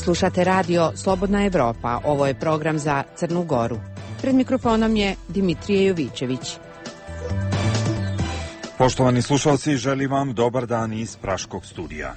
Slušate radio Slobodna Evropa. Ovo je program za Crnu Goru. Pred mikrofonom je Dimitrije Jovićević. Poštovani slušalci, želim vam dobar dan iz Praškog studija.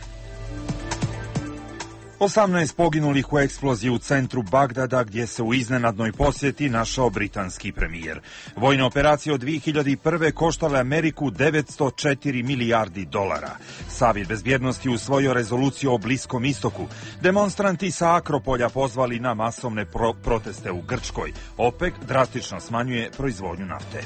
18 poginulih u eksploziji u centru Bagdada, gdje se u iznenadnoj posjeti našao britanski premijer. Vojne operacije od 2001. koštale Ameriku 904 milijardi dolara. Savjet bezbjednosti usvojio rezoluciju o Bliskom istoku. Demonstranti sa Akropolja pozvali na masovne proteste u Grčkoj. OPEC drastično smanjuje proizvodnju nafte.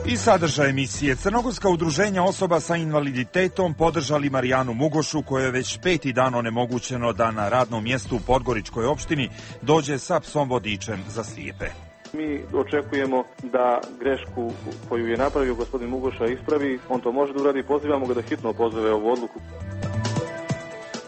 I sadržaj emisije. Crnogorska udruženja osoba sa invaliditetom podržali Marijanu Mugošu, kojoj je već 5. dan onemogućeno da na radnom mjestu u Podgoričkoj opštini dođe sa psom vodičem za slijepe. Mi očekujemo da grešku koju je napravio gospodin Mugoša ispravi. On to može da uradi. Pozivamo ga da hitno pozove ovu odluku.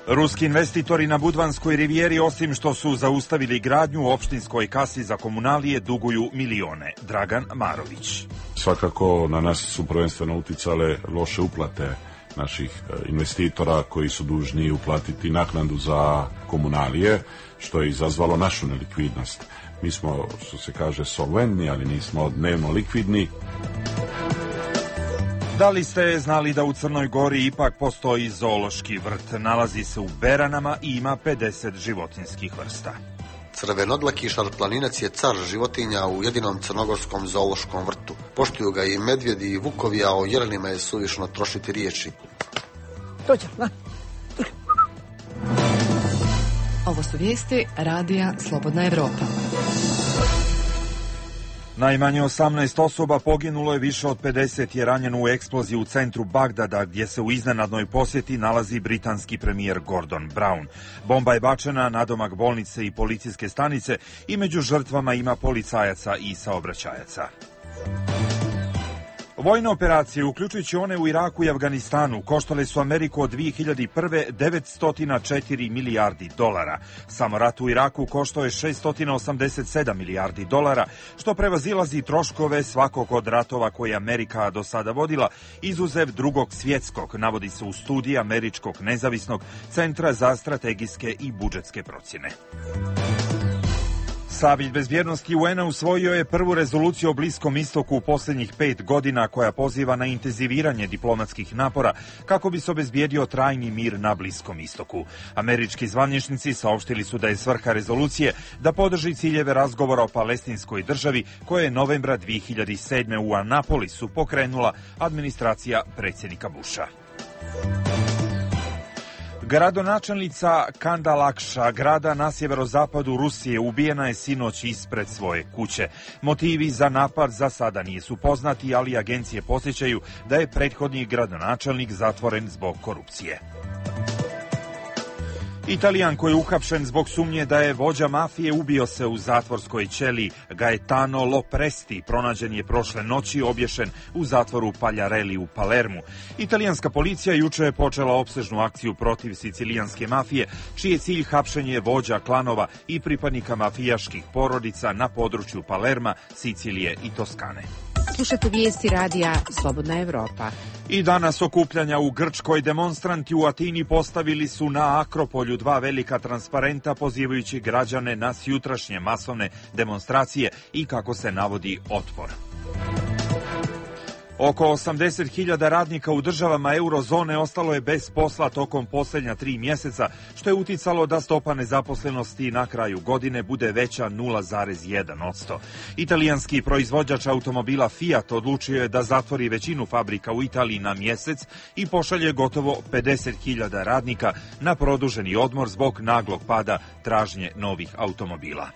Ruski investitori na Budvanskoj rivijeri, osim što su zaustavili gradnju, u opštinskoj kasi za komunalije duguju milione. Dragan Marović. Svakako na nas su prvenstveno uticale loše uplate naših investitora koji su dužni uplatiti naknadu za komunalije, što je izazvalo našu nelikvidnost. Mi smo, što se kaže, solventni, ali nismo dnevno likvidni. Da li ste znali da u Crnoj Gori ipak postoji zoološki vrt? Nalazi se u Beranama i ima 50 životinjskih vrsta. Crvenodlaki šarplaninac je car životinja u jedinom crnogorskom zoološkom vrtu. Poštuju ga i medvjedi i vukovi, a o jelenima je suvišno trošiti riječi. Ovo su vijesti Radija Slobodna Evropa. Najmanje 18 osoba poginulo je, više od 50 je ranjeno u eksploziji u centru Bagdada, gdje se u iznenadnoj posjeti nalazi britanski premijer Gordon Brown. Bomba je bačena na domak bolnice i policijske stanice i među žrtvama ima policajaca i saobraćajaca. Vojne operacije, uključujući one u Iraku i Afganistanu, koštale su Ameriku od 2001. 904 milijardi dolara. Samo rat u Iraku koštao je 687 milijardi dolara, što prevazilazi troškove svakog od ratova koje je Amerika do sada vodila, izuzev Drugog svjetskog, navodi se u studiji Američkog nezavisnog centra za strategijske i budžetske procjene. Savjet bezbjednosti UN-a usvojio je prvu rezoluciju o Bliskom istoku u posljednjih 5 godina, koja poziva na intenziviranje diplomatskih napora kako bi se obezbijedio trajni mir na Bliskom istoku. Američki zvaničnici saopštili su da je svrha rezolucije da podrži ciljeve razgovora o palestinskoj državi, koje je novembra 2007. u Anapolisu pokrenula administracija predsjednika Busha. Gradonačelnica Kandalakša, grada na sjeverozapadu Rusije, ubijena je sinoć ispred svoje kuće. Motivi za napad za sada nisu poznati, ali agencije podsjećaju da je prethodni gradonačelnik zatvoren zbog korupcije. Italijan koji je uhapšen zbog sumnje da je vođa mafije ubio se u zatvorskoj ćeliji. Gaetano Lopresti pronađen je prošle noći obješen u zatvoru Pagliarelli u Palermu. Italijanska policija juče je počela opsežnu akciju protiv sicilijanske mafije, čiji je cilj hapšenje vođa klanova i pripadnika mafijaških porodica na području Palerma, Sicilije i Toskane. Slušate vijesti Radija Slobodna Evropa. I danas okupljanja u Grčkoj. Demonstranti u Atini postavili su na Akropolju 2 velika transparenta pozivajući građane na sjutrašnje masovne demonstracije i, kako se navodi, otpor. Oko 80.000 radnika u državama eurozone ostalo je bez posla tokom posljednja 3 mjeseca, što je uticalo da stopa nezaposlenosti na kraju godine bude veća 0,1%. Italijanski proizvođač automobila Fiat odlučio je da zatvori većinu fabrika u Italiji na mjesec i pošalje gotovo 50.000 radnika na produženi odmor zbog naglog pada tražnje novih automobila.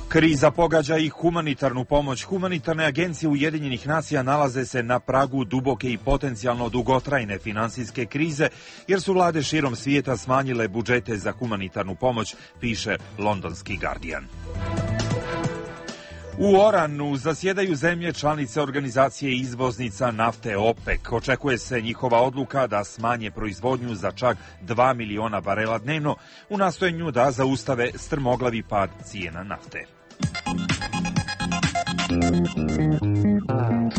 Kriza pogađa i humanitarnu pomoć. Humanitarne agencije Ujedinjenih nacija nalaze se na pragu duboke i potencijalno dugotrajne finansijske krize, jer su vlade širom svijeta smanjile budžete za humanitarnu pomoć, piše londonski Guardian. U Oranu zasjedaju zemlje članice organizacije izvoznica nafte OPEC. Očekuje se njihova odluka da smanje proizvodnju za čak 2 miliona barela dnevno u nastojanju da zaustave strmoglavi pad cijena nafte.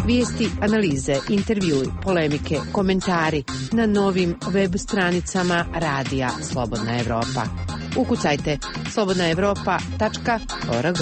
Vijesti, analize, intervjui, polemike, komentari na novim web stranicama Radija Slobodna Evropa. Ukucajte slobodnaevropa.org.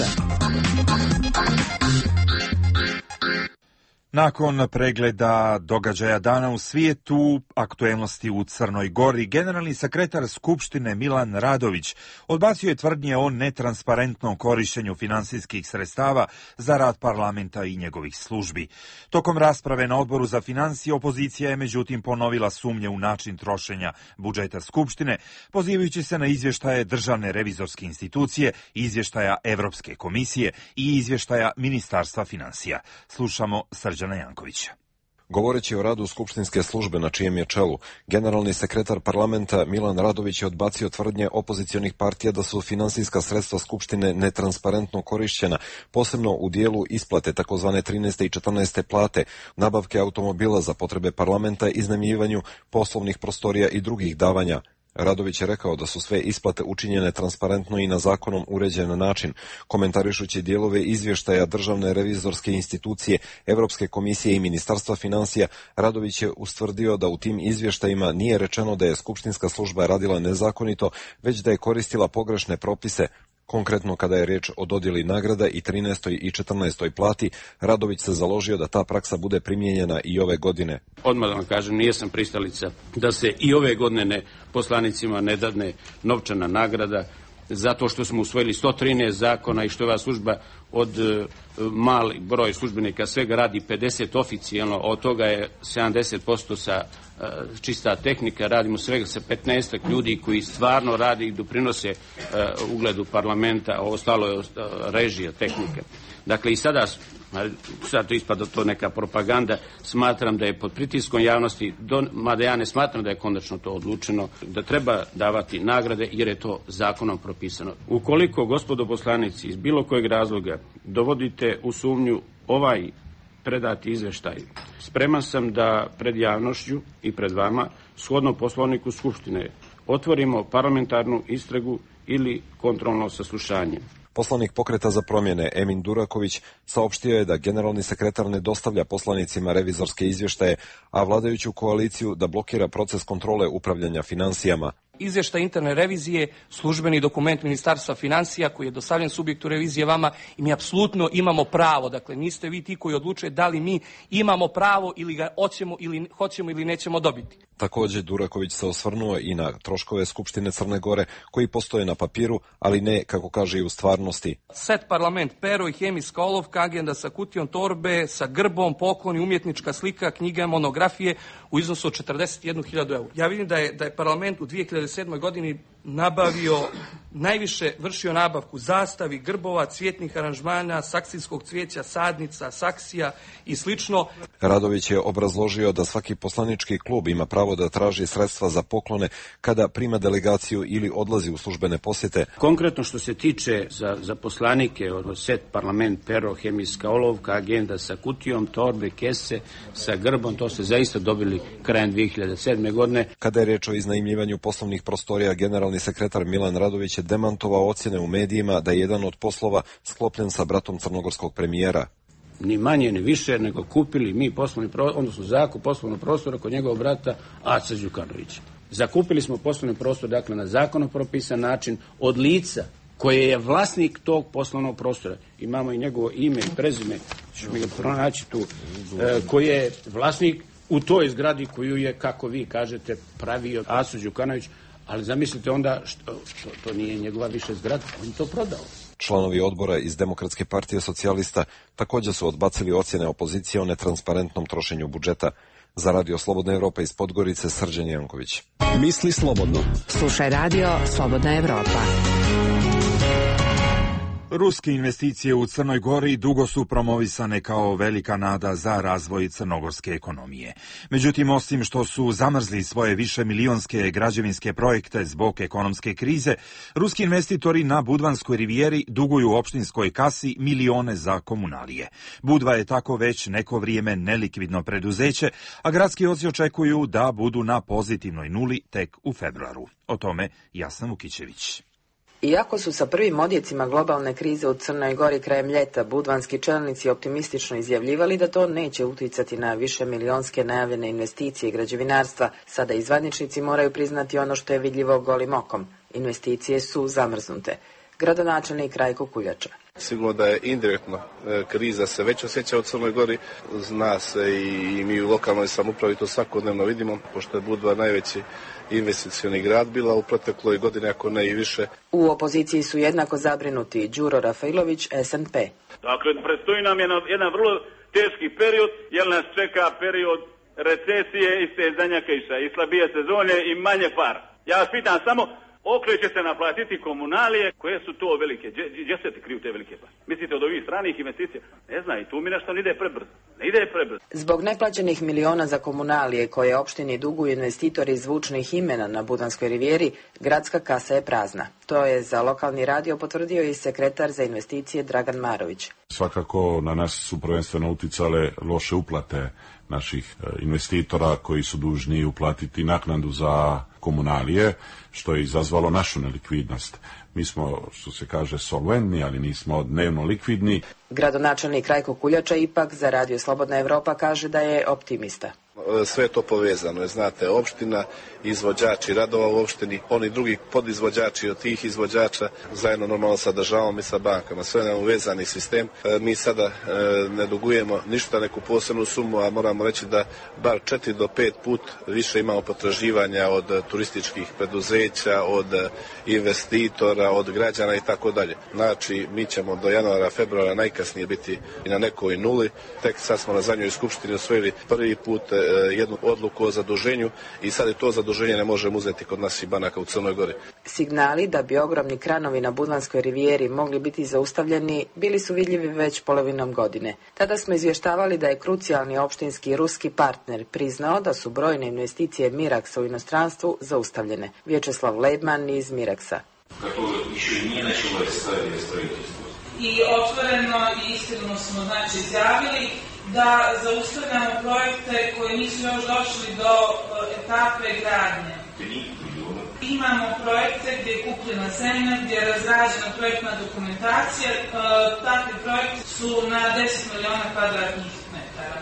Nakon pregleda događaja dana u svijetu, aktuelnosti u Crnoj Gori, generalni sekretar Skupštine Milan Radović odbacio je tvrdnje o netransparentnom korištenju finansijskih sredstava za rad parlamenta i njegovih službi. Tokom rasprave na Odboru za financije, opozicija je međutim ponovila sumnje u način trošenja budžeta Skupštine, pozivajući se na izvještaje Državne revizorske institucije, izvještaja Evropske komisije i izvještaja Ministarstva financija. Slušamo Srđana Jankovića. Govoreći o radu skupštinske službe na čijem je čelu, generalni sekretar parlamenta Milan Radović je odbacio tvrdnje opozicionih partija da su finansijska sredstva Skupštine netransparentno korišćena, posebno u dijelu isplate takozvane 13. i 14. plate, nabavke automobila za potrebe parlamenta, iznajmljivanju poslovnih prostorija i drugih davanja. Radović je rekao da su sve isplate učinjene transparentno i na zakonom uređen način. Komentarišući dijelove izvještaja Državne revizorske institucije, Evropske komisije i Ministarstva financija, Radović je ustvrdio da u tim izvještajima nije rečeno da je skupštinska služba radila nezakonito, već da je koristila pogrešne propise. Konkretno kada je riječ o dodjeli nagrada i 13. i 14. plati, Radović se založio da ta praksa bude primijenjena i ove godine. Odmah da vam kažem, nijesam pristalica da se i ove godine poslanicima ne dadne novčana nagrada, zato što smo usvojili 113 zakona i što je ova služba od mali broj službenika svega radi 50 oficijalno, od toga je 70% sa čista tehnika, radimo svega sa 15 ljudi koji stvarno radi i doprinose ugledu parlamenta, a ostalo je režija, tehnika. Dakle i sada to ispada to neka propaganda, smatram da je pod pritiskom javnosti, mada ja ne smatram da je konačno to odlučeno, da treba davati nagrade jer je to zakonom propisano. Ukoliko, gospodo poslanici, iz bilo kojeg razloga dovodite u sumnju ovaj predati izveštaj, spreman sam da pred javnošću i pred vama, shodno Poslovniku Skupštine, otvorimo parlamentarnu istragu ili kontrolno saslušanje. Poslanik Pokreta za promjene Emin Duraković saopštio je da generalni sekretar ne dostavlja poslanicima revizorske izvještaje, a vladajuću koaliciju da blokira proces kontrole upravljanja financijama. Izvještaj interne revizije, službeni dokument Ministarstva financija koji je dostavljen subjektu revizije vama i mi apsolutno imamo pravo, dakle niste vi ti koji odlučuje da li mi imamo pravo ili ga hoćemo ili nećemo dobiti. Također Duraković se osvrnuo i na troškove Skupštine Crne Gore koji postoje na papiru, ali ne, kako kaže, i u stvarnosti. Set parlament, pero i hemijska olovka, agenda sa kutijom torbe, sa grbom, pokloni, umjetnička slika, knjiga, monografije u iznosu od 41.000 eura. Ja vidim da je parlament u 2007. godini nabavio, najviše vršio nabavku zastavi, grbova, cvjetnih aranžmana, saksijskog cvijeća, sadnica, saksija i slično. Radović je obrazložio da svaki poslanički klub ima pravo da traži sredstva za poklone kada prima delegaciju ili odlazi u službene posjete. Konkretno što se tiče za poslanike, set, parlament, pero, hemijska olovka, agenda sa kutijom, torbe, kese, sa grbom, to ste zaista dobili krajem 2007. godine. Kada je riječ o iznajmljivanju poslovnih prostorija, generalni sekretar Milan Radović je demantovao ocjene u medijima da je jedan od poslova sklopljen sa bratom crnogorskog premijera. Ni manje ni više nego kupili mi zakup poslovnog prostora kod njegovog brata Aca Đukanovića. Zakupili smo poslovni prostor, dakle, na zakonom propisan način od lica koje je vlasnik tog poslovnog prostora. Imamo i njegovo ime i prezime, ću mi ga pronaći tu, koji je vlasnik u toj zgradi koju je, kako vi kažete, pravio Aca Đukanović, ali zamislite onda što to nije njegova više zgrada, on to prodao. Članovi odbora iz Demokratske partije socijalista također su odbacili ocjene opozicije o netransparentnom trošenju budžeta. Za Radio Slobodna Evropa iz Podgorice, Srđan Janković. Misli slobodno. Slušaj Radio Slobodna Evropa. Ruske investicije u Crnoj Gori dugo su promovisane kao velika nada za razvoj crnogorske ekonomije. Međutim, osim što su zamrzli svoje višemilionske građevinske projekte zbog ekonomske krize, ruski investitori na Budvanskoj rivijeri duguju opštinskoj kasi milione za komunalije. Budva je tako već neko vrijeme nelikvidno preduzeće, a gradski oci očekuju da budu na pozitivnoj nuli tek u februaru. O tome Jasna Vukićević. Iako su sa prvim odjecima globalne krize u Crnoj Gori krajem ljeta budvanski čelnici optimistično izjavljivali da to neće uticati na višemilionske najavljene investicije građevinarstva, sada i zvaničnici moraju priznati ono što je vidljivo golim okom. Investicije su zamrznute. Gradonačelnik Rajko Kuljača. Sigurno da je indirektno kriza se već osjeća u Crnoj Gori. Zna se i mi u lokalnoj samoupravi to svakodnevno vidimo, pošto je Budva najveći investicioni grad bila u protekloj godini, ako ne i više. U opoziciji su jednako zabrinuti Đuro Rafailović, SNP. Dakle, predstoji nam jedan vrlo teški period, jer nas čeka period recesije i stezanja kiša, i slabije sezone i manje para. Ja vas pitam samo, okreće se naplatiti komunalije, koje su to velike? Gdje se ti kriju te velike pare? Mislite od ovih stranih investicija? Ne znam, i tu mi nešto ne ide prebrzo. Zbog neplaćenih miliona za komunalije koje opštini duguju investitori zvučnih imena na Budanskoj rivijeri, gradska kasa je prazna. To je za lokalni radio potvrdio i sekretar za investicije Dragan Marović. Svakako na nas su prvenstveno uticale loše uplate naših investitora koji su dužni uplatiti naknadu za komunalije, što je izazvalo našu nelikvidnost. Mi smo, što se kaže, solventni, ali nismo dnevno likvidni. Gradonačelnik Rajko Kuljača ipak za Radio Slobodna Evropa kaže da je optimista. Sve je to povezano, znate, opština, izvođači radova u opštini, oni drugi podizvođači od tih izvođača, zajedno normalno sa državom i sa bankama, sve nam uvezani sistem. Mi sada ne dugujemo ništa, neku posebnu sumu, a moramo reći da bar 4 do 5 put više imamo potraživanja od turističkih preduzeća, od investitora, od građana i tako dalje. Znači, mi ćemo do januara, februara najkasnije biti i na nekoj nuli. Tek sad smo na zadnjoj skupštini osvojili prvi put jednu odluku o zaduženju i sad je to zaduženje ne možemo uzeti kod naših banaka u Crnoj Gori. Signali da bi ogromni kranovi na Budvanskoj rivijeri mogli biti zaustavljeni bili su vidljivi već polovinom godine. Tada smo izvještavali da je krucijalni opštinski ruski partner priznao da su brojne investicije Miraksa u inostranstvu zaustavljene. Vječeslav Leibman iz Miraksa. I otvoreno i iskreno smo izjavili da zaustavljamo projekte koji nisu još došli do etape gradnje. Imamo projekte gdje je kupljena zemlja, gdje je razrađena projektna dokumentacija. Takvi projekti su na 10 miliona kvadratnih metara.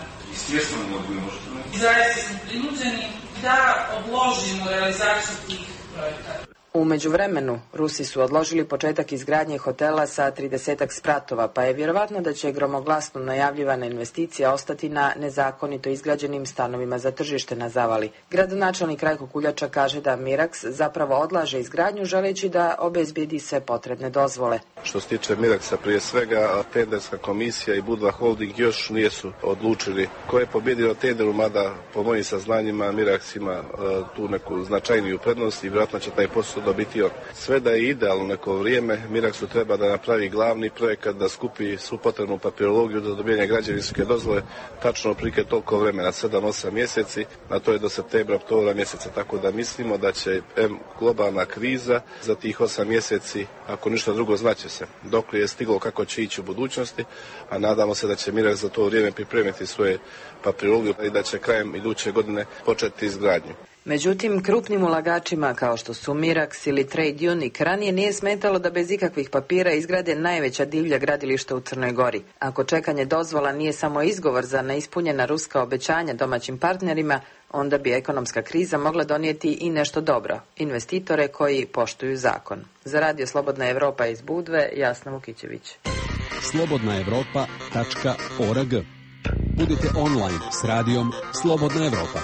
I zaista smo prinuđeni da odložimo realizaciju tih projekata. U međuvremenu, Rusi su odložili početak izgradnje hotela sa 30 spratova, pa je vjerovatno da će gromoglasno najavljivana investicija ostati na nezakonito izgrađenim stanovima za tržište na Zavali. Gradonačelnik Rajko Kuljača kaže da Miraks zapravo odlaže izgradnju želeći da obezbedi sve potrebne dozvole. Što se tiče Miraksa, prije svega tenderska komisija i Budva Holding još nisu odlučili ko je pobjedio tenderu, mada po mojim saznanjima Miraks ima tu neku značajniju prednost i vjerojatno će taj posao dobiti on. Sve da je idealno neko vrijeme, Miraksu treba da napravi glavni projekat, da skupi svu potrebnu papirologiju do dobijanja građevinske dozvole, tačno prike toliko vremena, 7-8 mjeseci, a to je do septembra, oktobra mjeseca, tako da mislimo da će globalna kriza za tih 8 mjeseci, ako ništa drugo, znaće se dok je stiglo kako će ići u budućnosti, a nadamo se da će Miraks za to vrijeme pripremiti svoje papirologiju i da će krajem iduće godine početi izgradnju. Međutim, krupnim ulagačima kao što su Miraks ili Trade Unic ranije nije smetalo da bez ikakvih papira izgrade najveća divlja gradilišta u Crnoj Gori. Ako čekanje dozvola nije samo izgovor za neispunjena ruska obećanja domaćim partnerima, onda bi ekonomska kriza mogla donijeti i nešto dobro, investitore koji poštuju zakon. Za Radio Slobodna Evropa iz Budve, Jasna Vukićević. slobodnaevropa.org. Budite online s radijom Slobodna Evropa.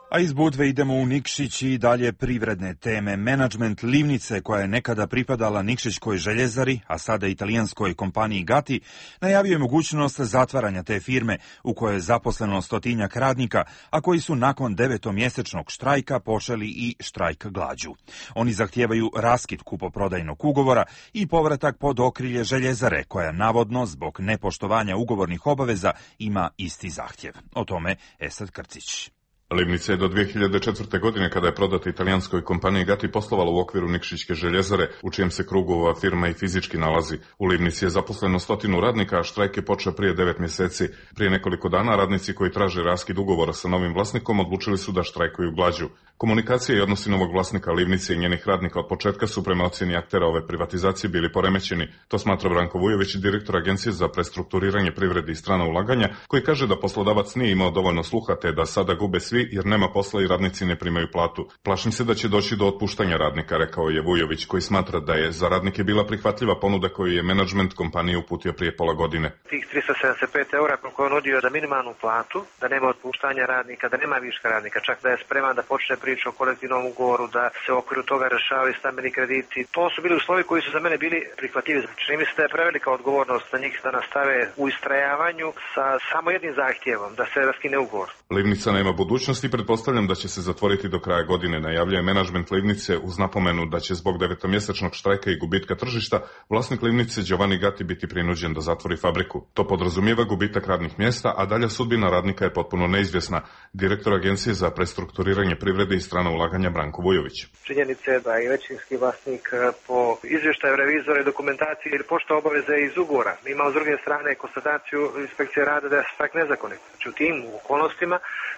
A iz Budve idemo u Nikšić i dalje privredne teme. Menadžment Livnice, koja je nekada pripadala Nikšićkoj željezari, a sada italijanskoj kompaniji Gati, najavio je mogućnost zatvaranja te firme u kojoj je zaposleno 100-tinjak radnika, a koji su nakon 9-mjesečnog štrajka počeli i štrajk glađu. Oni zahtijevaju raskid kupoprodajnog ugovora i povratak pod okrilje željezare, koja navodno zbog nepoštovanja ugovornih obaveza ima isti zahtjev. O tome Esad Krcić. Livnica je do 2004. godine, kada je prodata italijanskoj kompaniji Gatti, poslovala u okviru Nikšićke željezare, u čijem se krugu ova firma i fizički nalazi. U Livnici je zaposleno 100 radnika, a štrajk je počeo prije 9 mjeseci. Prije nekoliko dana radnici koji traže raskid ugovora sa novim vlasnikom odlučili su da štrajkuju glađu. Komunikacija i odnosi novog vlasnika Livnice i njenih radnika od početka su prema ocjeni aktera ove privatizacije bili poremećeni. To smatra Branko Vujović, direktor Agencije za prestrukturiranje privrede i strana ulaganja, koji kaže da poslodavac nije imao dovoljno sluha te da sada gube svi jer nema posla i radnici ne primaju platu. Plašim se da će doći do otpuštanja radnika, rekao je Vujović, koji smatra da je za radnike bila prihvatljiva ponuda koju je menadžment kompanije uputio prije pola godine. Tih 375 eura koliko je nudio za minimalnu platu, da nema otpuštanja radnika, da nema viška radnika, čak da je spreman da počne priču o kolektivnom ugovoru, da se u okviru toga rešavaju stambeni krediti. To su bili uslovi koji su za mene bili prihvatljivi. Čini mi se da je prevelika odgovornost za njih da nastave u istrajavanju sa samo jednim zahtjevom, da se raskine ugovor. Livnica nema budućnosti i pretpostavljam da će se zatvoriti do kraja godine, najavljuje menadžment Livnice uz napomenu da će zbog 9-mjesečnog štrajka i gubitka tržišta vlasnik Livnice Giovanni Gatti biti prinuđen da zatvori fabriku. To podrazumijeva gubitak radnih mjesta, a dalja sudbina radnika je potpuno neizvjesna. Direktor Agencije za prestrukturiranje privrede i strana ulaganja Branko Vujović. Činjenica je da je većinski vlasnik po izvještaju revizora i dokumentaciji ili pošta obaveze iz ugovora. Mi imamo s druge strane konstataciju inspekcije rada da je štrajk nezakonit. Znači u tim okolnostima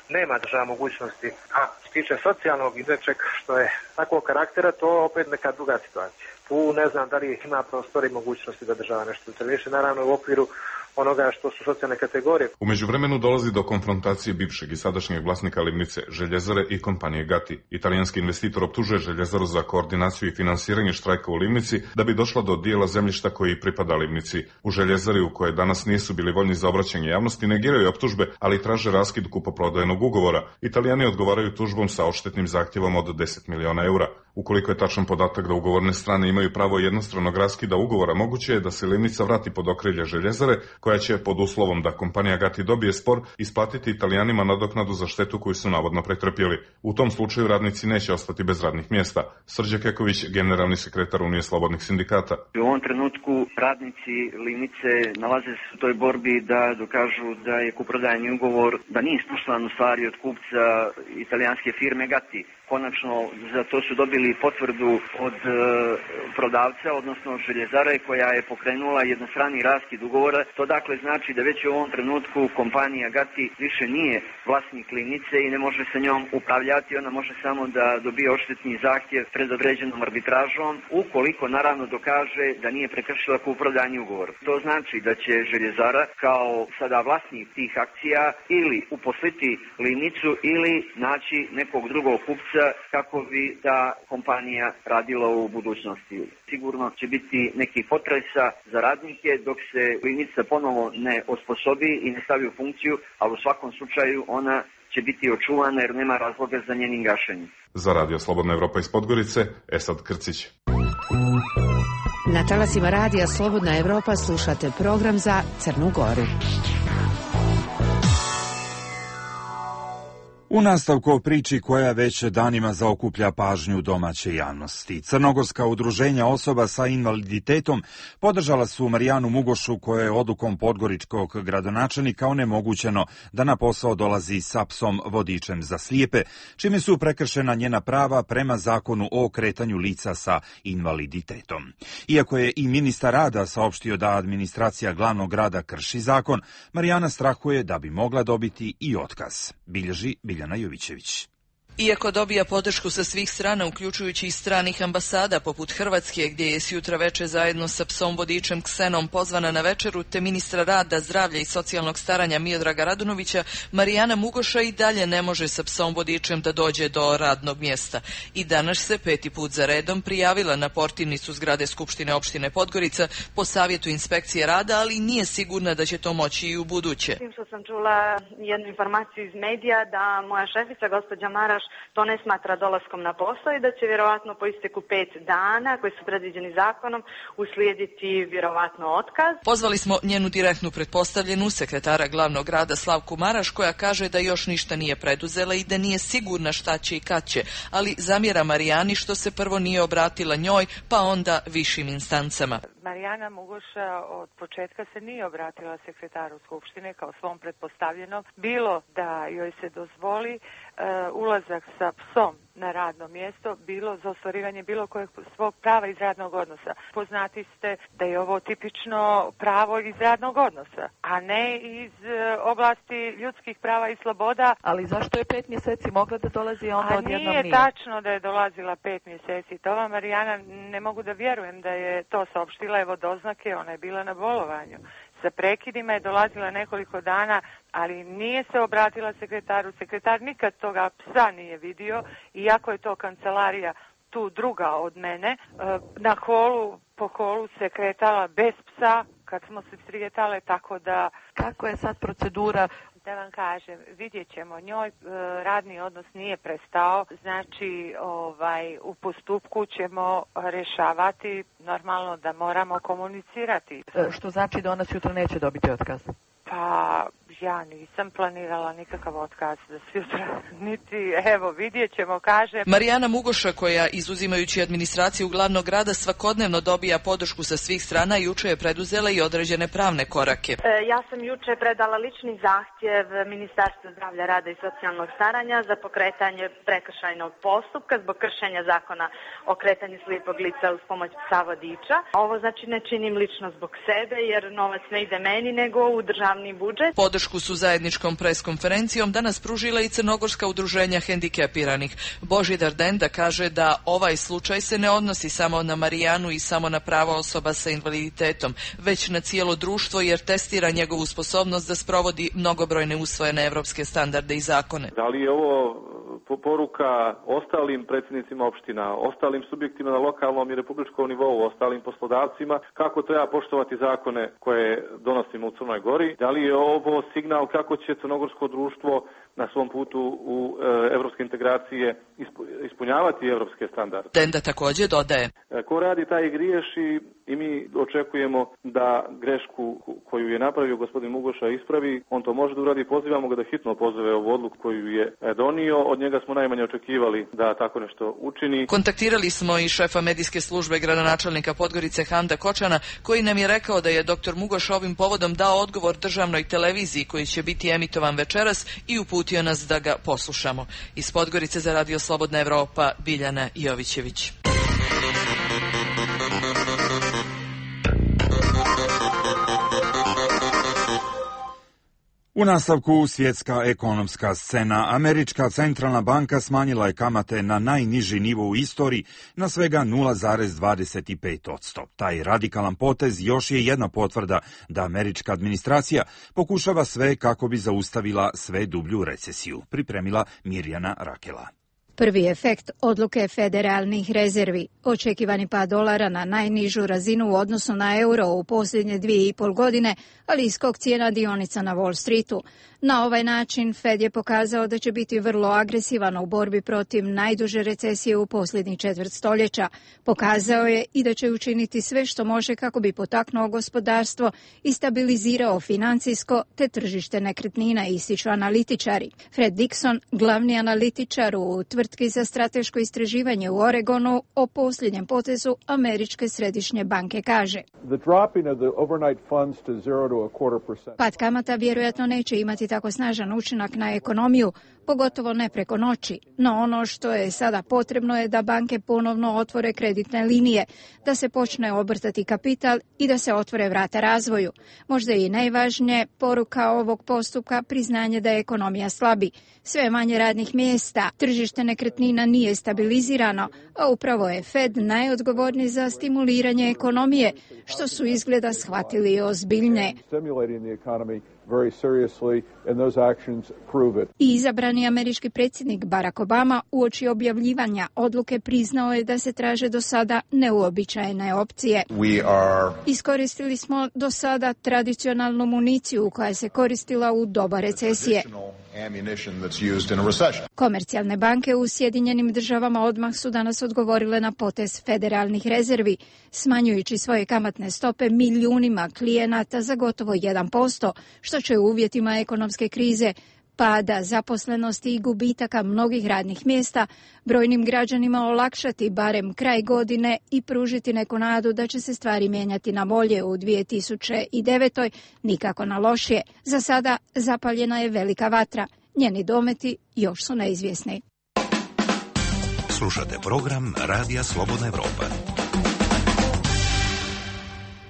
nema država mogućnosti. A što tiče socijalnog i nečeg što je takvog karaktera, to opet neka druga situacija. Tu ne znam da li ima prostora i mogućnosti da država nešto interveniše, naravno u okviru onoga što su socijalne kategorije. U međuvremenu dolazi do konfrontacije bivšeg i sadašnjeg vlasnika Livnice, željezare i kompanije Gatti. Italijanski investitor optužuje željezaru za koordinaciju i finansiranje štrajka u Livnici da bi došla do dijela zemljišta koji pripada Livnici. U željezari, u koje danas nisu bili voljni za obraćanje javnosti, negiraju optužbe, ali traže raskid kupoprodajnog ugovora. Italijani odgovaraju tužbom sa odštetnim zahtjevom od 10 miliona eura. Ukoliko je tačan podatak da ugovorne strane imaju pravo jednostranog raskida ugovora, moguće je da se Livnica vrati pod okrilje željezare, koja će, pod uslovom da kompanija Gatti dobije spor, isplatiti Italijanima nadoknadu za štetu koju su navodno pretrpjeli. U tom slučaju radnici neće ostati bez radnih mjesta. Srđe Keković, generalni sekretar Unije slobodnih sindikata. U ovom trenutku radnici Livnice nalaze se u toj borbi da dokažu da je kupoprodajni ugovor, da nije isposlan u stvari od kupca italijanske firme Gatti. Konačno, za to su dobili potvrdu od prodavca, odnosno od željezare, koja je pokrenula jednostrani raskid ugovora. To dakle znači da već u ovom trenutku kompanija Gatti više nije vlasnik Livnice i ne može sa njom upravljati. Ona može samo da dobije odštetni zahtjev pred određenom arbitražom, ukoliko naravno dokaže da nije prekršila kupoprodajni ugovor. To znači da će željezara kao sada vlasnik tih akcija ili uposliti Livnicu ili naći nekog drugog kupca kako bi ta kompanija radila u budućnosti. Sigurno će biti neki potresa za radnike dok se Livnica ponovo ne osposobi i ne stavi u funkciju, ali u svakom slučaju ona će biti očuvana jer nema razloga za njenim gašenjem. Za Radio Slobodna Evropa iz Podgorice, Esad Krcić. Na talasima Radija Slobodna Evropa slušate program za Crnu Goru. U nastavku o priči koja već danima zaokuplja pažnju domaće javnosti. Crnogorska udruženja osoba sa invaliditetom podržala su Marijanu Mugošu, koja je odlukom podgoričkog gradonačelnika onemogućeno da na posao dolazi sa psom vodičem za slijepe, čime su prekršena njena prava prema zakonu o kretanju lica sa invaliditetom. Iako je i ministar rada saopštio da administracija glavnog grada krši zakon, Marijana strahuje da bi mogla dobiti i otkaz. Bilježi Biljana Jovićević. Iako dobija podršku sa svih strana, uključujući i stranih ambasada poput Hrvatske, gdje je sjutra veče zajedno sa psom vodičem Ksenom pozvana na večeru, te ministra rada, zdravlja i socijalnog staranja Miodraga Radunovića, Marijana Mugoša i dalje ne može sa psom vodičem da dođe do radnog mjesta. I danas se 5. put za redom prijavila na portirnicu zgrade Skupštine opštine Podgorica po savjetu inspekcije rada, ali nije sigurna da će to moći i u buduće. Što sam čula jednu informaciju iz medija da moja šefica, gospođa Maraš, to ne smatra dolaskom na posao i da će vjerovatno po isteku 5 dana koji su predviđeni zakonom uslijediti vjerovatno otkaz. Pozvali smo njenu direktnu pretpostavljenu, sekretara glavnog grada Slavku Maraš, koja kaže da još ništa nije preduzela i da nije sigurna šta će i kad će, ali zamjera Marijani što se prvo nije obratila njoj, pa onda višim instancama. Marijana Mugoša od početka se nije obratila sekretaru Skupštine kao svom pretpostavljenom, bilo da joj se dozvoli ulazak sa psom na radno mjesto, bilo za ostvarivanje bilo kojeg svog prava iz radnog odnosa. Poznati ste da je ovo tipično pravo iz radnog odnosa, a ne iz oblasti ljudskih prava i sloboda. Ali zašto je 5 mjeseci mogla da dolazi, a onda odjednom nije? Nije tačno da je dolazila 5 mjeseci. To vam, Marijana, ne mogu da vjerujem da je to saopštila, evo doznake, ona je bila na bolovanju. Sa prekidima je dolazila nekoliko dana, ali nije se obratila sekretaru. Sekretar nikad toga psa nije vidio, iako je to kancelarija tu druga od mene. Na holu, po holu se kretala bez psa kad smo se srijetale, tako da... Kako je sad procedura? Da vam kažem, vidjet ćemo, njoj radni odnos nije prestao, znači u postupku ćemo rješavati, normalno da moramo komunicirati. Što znači da ona sutra neće dobiti otkaz? Pa ja nisam planirala nikakav otkaz za sutra, niti, evo, vidjet ćemo, kaže. Marijana Mugoša, koja izuzimajući administraciju glavnog grada svakodnevno dobija podršku sa svih strana, juče je preduzela i određene pravne korake. Ja sam juče predala lični zahtjev Ministarstvu zdravlja, rada i socijalnog staranja za pokretanje prekršajnog postupka zbog kršenja zakona o kretanju slijepog lica uz pomoć psa vodiča. Ovo znači ne činim lično zbog sebe jer novac ne ide meni nego u državni budžet. Podršku su zajedničkom preskonferencijom danas pružila i crnogorska udruženja hendikepiranih. Božidar Denda kaže da ovaj slučaj se ne odnosi samo na Marijanu i samo na prava osoba sa invaliditetom, već na cijelo društvo jer testira njegovu sposobnost da sprovodi mnogobrojne usvojene evropske standarde i zakone. Da li je ovo poruka ostalim predsjednicima opština, ostalim subjektima na lokalnom i republičkom nivou, ostalim poslodavcima, kako treba poštovati zakone koje donosimo u Crnoj Gori? Da li je ovo signal kako će crnogorsko društvo na svom putu u evropske integracije ispunjavati evropske standarde? Denda također dodaje. Ko radi taj i griješi i mi očekujemo da grešku koju je napravio gospodin Mugoša ispravi. On to može da uradi, pozivamo ga da hitno pozove ovu odluku koju je donio. Od njega smo najmanje očekivali da tako nešto učini. Kontaktirali smo i šefa medijske službe gradonačelnika Podgorice Handa Kočana, koji nam je rekao da je dr. Mugoš ovim povodom dao odgovor državnoj televiziji koji će biti emitovan večeras i uputio nas da ga poslušamo. Iz Podgorice za Radio Slobodna Evropa, Biljana Jovićević. U nastavku svjetska ekonomska scena. Američka centralna banka smanjila je kamate na najniži nivo u istoriji na svega 0,25%. Taj radikalan potez još je jedna potvrda da američka administracija pokušava sve kako bi zaustavila sve dublju recesiju. Pripremila Mirjana Rakela. Prvi efekt odluke federalnih rezervi, očekivani pad dolara na najnižu razinu u odnosu na euro u posljednje 2,5 godine, ali i skok cijena dionica na Wall Streetu. Na ovaj način Fed je pokazao da će biti vrlo agresivan u borbi protiv najduže recesije u posljednjih četvrt stoljeća. Pokazao je i da će učiniti sve što može kako bi potaknuo gospodarstvo i stabilizirao financijsko te tržište nekretnina, ističu analitičari. Fred Dixon, glavni analitičar u tvrtki za strateško istraživanje u Oregonu, o posljednjem potezu Američke središnje banke kaže: pad kamata vjerojatno neće imati tako snažan učinak na ekonomiju, pogotovo ne preko noći, no ono što je sada potrebno je da banke ponovno otvore kreditne linije, da se počne obrtati kapital i da se otvore vrata razvoju. Možda i najvažnije poruka ovog postupka priznanje da je ekonomija slabi. Sve manje radnih mjesta, tržište nekretnina nije stabilizirano, a upravo je Fed najodgovorniji za stimuliranje ekonomije, što su izgleda shvatili ozbiljne. I izabrani američki predsjednik Barack Obama uoči objavljivanja odluke priznao je da se traže do sada neuobičajene opcije. Iskoristili smo do sada tradicionalnu municiju koja se koristila u doba recesije. Komercijalne banke u Sjedinjenim Državama odmah su danas odgovorile na potez federalnih rezervi, smanjujući svoje kamatne stope milijunima klijenata za gotovo 1%, što će u uvjetima ekonomske krize pada zaposlenosti i gubitaka mnogih radnih mjesta, brojnim građanima olakšati barem kraj godine i pružiti neku nadu da će se stvari mijenjati na bolje u 2009. nikako na lošije. Za sada zapaljena je velika vatra. Njeni dometi još su neizvjesni. Slušate program Radija Slobodna Evropa.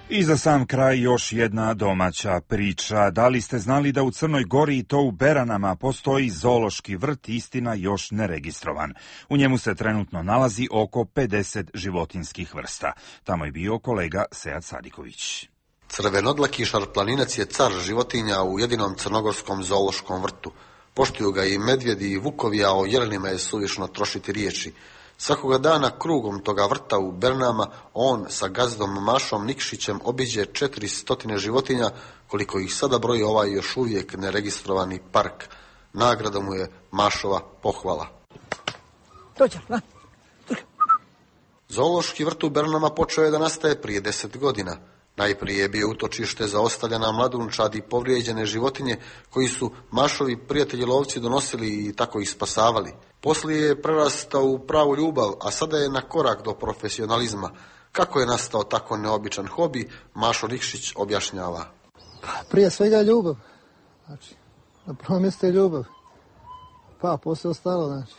I za sam kraj još jedna domaća priča. Da li ste znali da u Crnoj Gori i to u Beranama postoji zoološki vrt, istina još neregistrovan. U njemu se trenutno nalazi oko 50 životinjskih vrsta. Tamo je bio kolega Sead Sadiković. Crvenodlaki šarplaninac je car životinja u jedinom crnogorskom zoološkom vrtu. Poštuju ga i medvjedi i vukovi, a o jelenima je suvišno trošiti riječi. Svakoga dana krugom toga vrta u Bernama on sa gazdom Mašom Nikšićem obiđe 400 životinja, koliko ih sada broji ovaj još uvijek neregistrovani park. Nagrada mu je Mašova pohvala. Zoološki vrt u Bernama počeo je da nastaje prije 10 godina. Najprije je bio utočište za ostavljena mladunčad i povrijeđene životinje koji su Mašovi prijatelji lovci donosili i tako ih spasavali. Poslije je prerastao u pravu ljubav, a sada je na korak do profesionalizma. Kako je nastao tako neobičan hobi, Mašo Nikšić objašnjava. Prije svega ljubav. Znači, na prvom mjestu je ljubav. Pa, poslije ostalo, znači.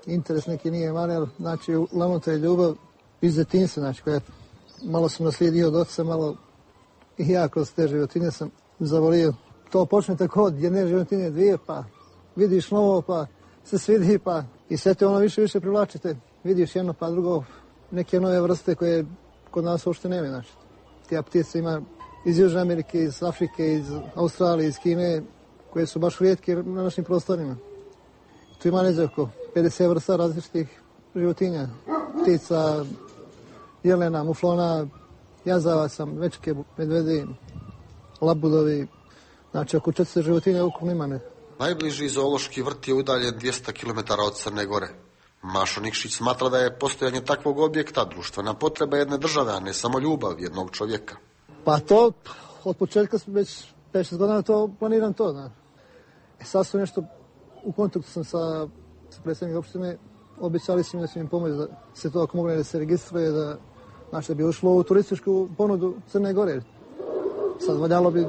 Interes neki nije mali, ali znači, uglavnom to je ljubav iz detinjstva, znači, koja malo sam naslijedio od oca, malo i ja kroz te životinje sam zavolio. To počne tako od jedne životinje, dvije, pa vidiš novo, pa se svidi, pa i sve te ono više privlačite. Vidiš jedno pa drugo, neke nove vrste koje kod nas uopšte nema. Znači, tija ptice ima iz Južne Amerike, iz Afrike, iz Australije, iz Kine, koje su baš rijetke na našim prostorima. Tu ima neđe oko 50 vrsta različitih životinja, ptica, jelena, muflona, jazavaca, mečke, medvedi, labudovi, znači oko 400 životinja ukupno ima. Najbliži zoološki vrt je udaljen 200 km od Crne Gore. Mašo Nikšić smatra da je postojanje takvog objekta društvena potreba jedne države, a ne samo ljubav jednog čovjeka. Pa to, od početka već 5-6 godina to planiram to. Da. Sad su nešto, u kontaktu sam sa predsjednikom opštine, obećali su mi da će im pomoći da se to ako mogu da se registruje, da znači da bi ušlo u turističku ponudu Crne Gore. Sad valjalo bi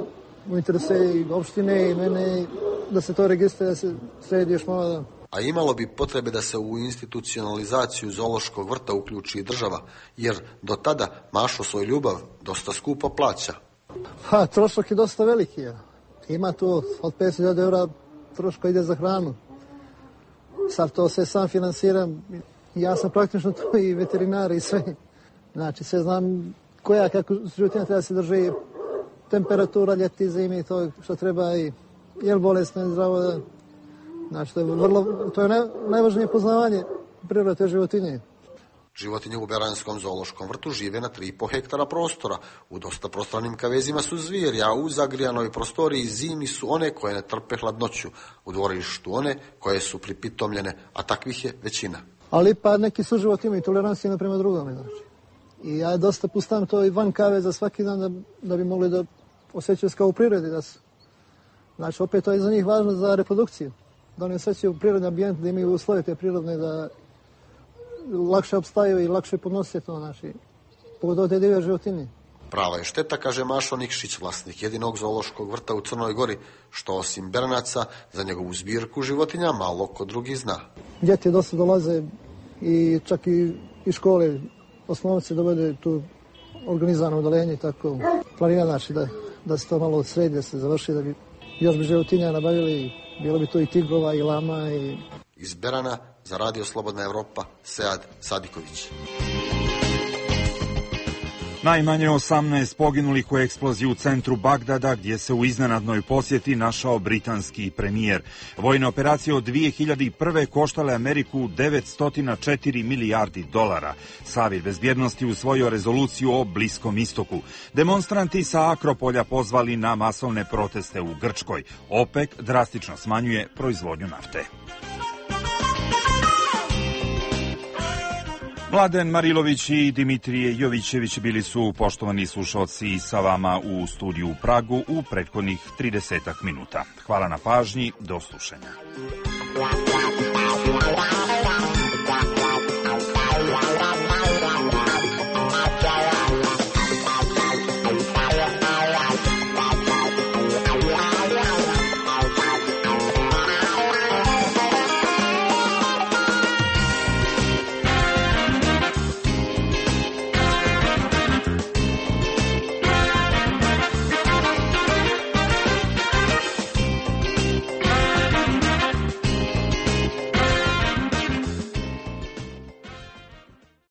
u interese i opštine i mene da se to registruje, da se sredi još malo da... A imalo bi potrebe da se u institucionalizaciju zoološkog vrta uključi i država, jer do tada Mašo svoju ljubav dosta skupo plaća. Pa, trošak je dosta veliki. Ja. Ima tu od 50.000 eura troška ide za hranu. Sad to sve sam financiram. Ja sam praktično tu i veterinar i sve. Znači, sve znam kako životinja treba se drži, temperatura, ljeti, zimi, to što treba i jel bolesno je zdravo da... Znači, to je najvažnije poznavanje prirode te životinje. Životinje u Beranskom zoološkom vrtu žive na 3,5 hektara prostora. U dosta prostranim kavezima su zvijeri, a u zagrijanoj prostoriji zimi su one koje ne trpe hladnoću. U dvorištu one koje su pripitomljene, a takvih je većina. Ali pa neki su životinje imaju toleranciju prema drugome, znači. I ja dosta pustam to i van kaveza svaki dan da bi mogli da osjećaju se kao u prirodi. Znači, opet to je za njih važno za reprodukciju. Da oni osjećaju prirodni ambijent, da imaju uslove te prirodne, da lakše opstaju i lakše podnose to, znači, pogotovo te divlje životinje. Prava je šteta, kaže Mašo Nikšić, vlasnik jedinog zoološkog vrta u Crnoj Gori, što osim Bernaca za njegovu zbirku životinja malo ko drugi zna. Djeti dosta dolaze i čak i škole, osnovnice dovede tu organizovano udaljenje i tako. Planira znači da se to malo sredi, da se završi, da bi još bi životinja nabavili, bilo bi to i tigrova i lama. Iz Berana za Radio Slobodna Evropa, Sead Sadiković. Najmanje 18 poginulih u eksploziji u centru Bagdada, gdje se u iznenadnoj posjeti našao britanski premijer. Vojne operacije od 2001. koštale Ameriku 904 milijardi dolara. Savjet bezbjednosti usvojio rezoluciju o Bliskom istoku. Demonstranti sa Akropolja pozvali na masovne proteste u Grčkoj. OPEC drastično smanjuje proizvodnju nafte. Mladen Marilović i Dimitrije Jovićević bili su, poštovani slušalci, sa vama u studiju u Pragu u prethodnih 30 minuta. Hvala na pažnji, do slušanja.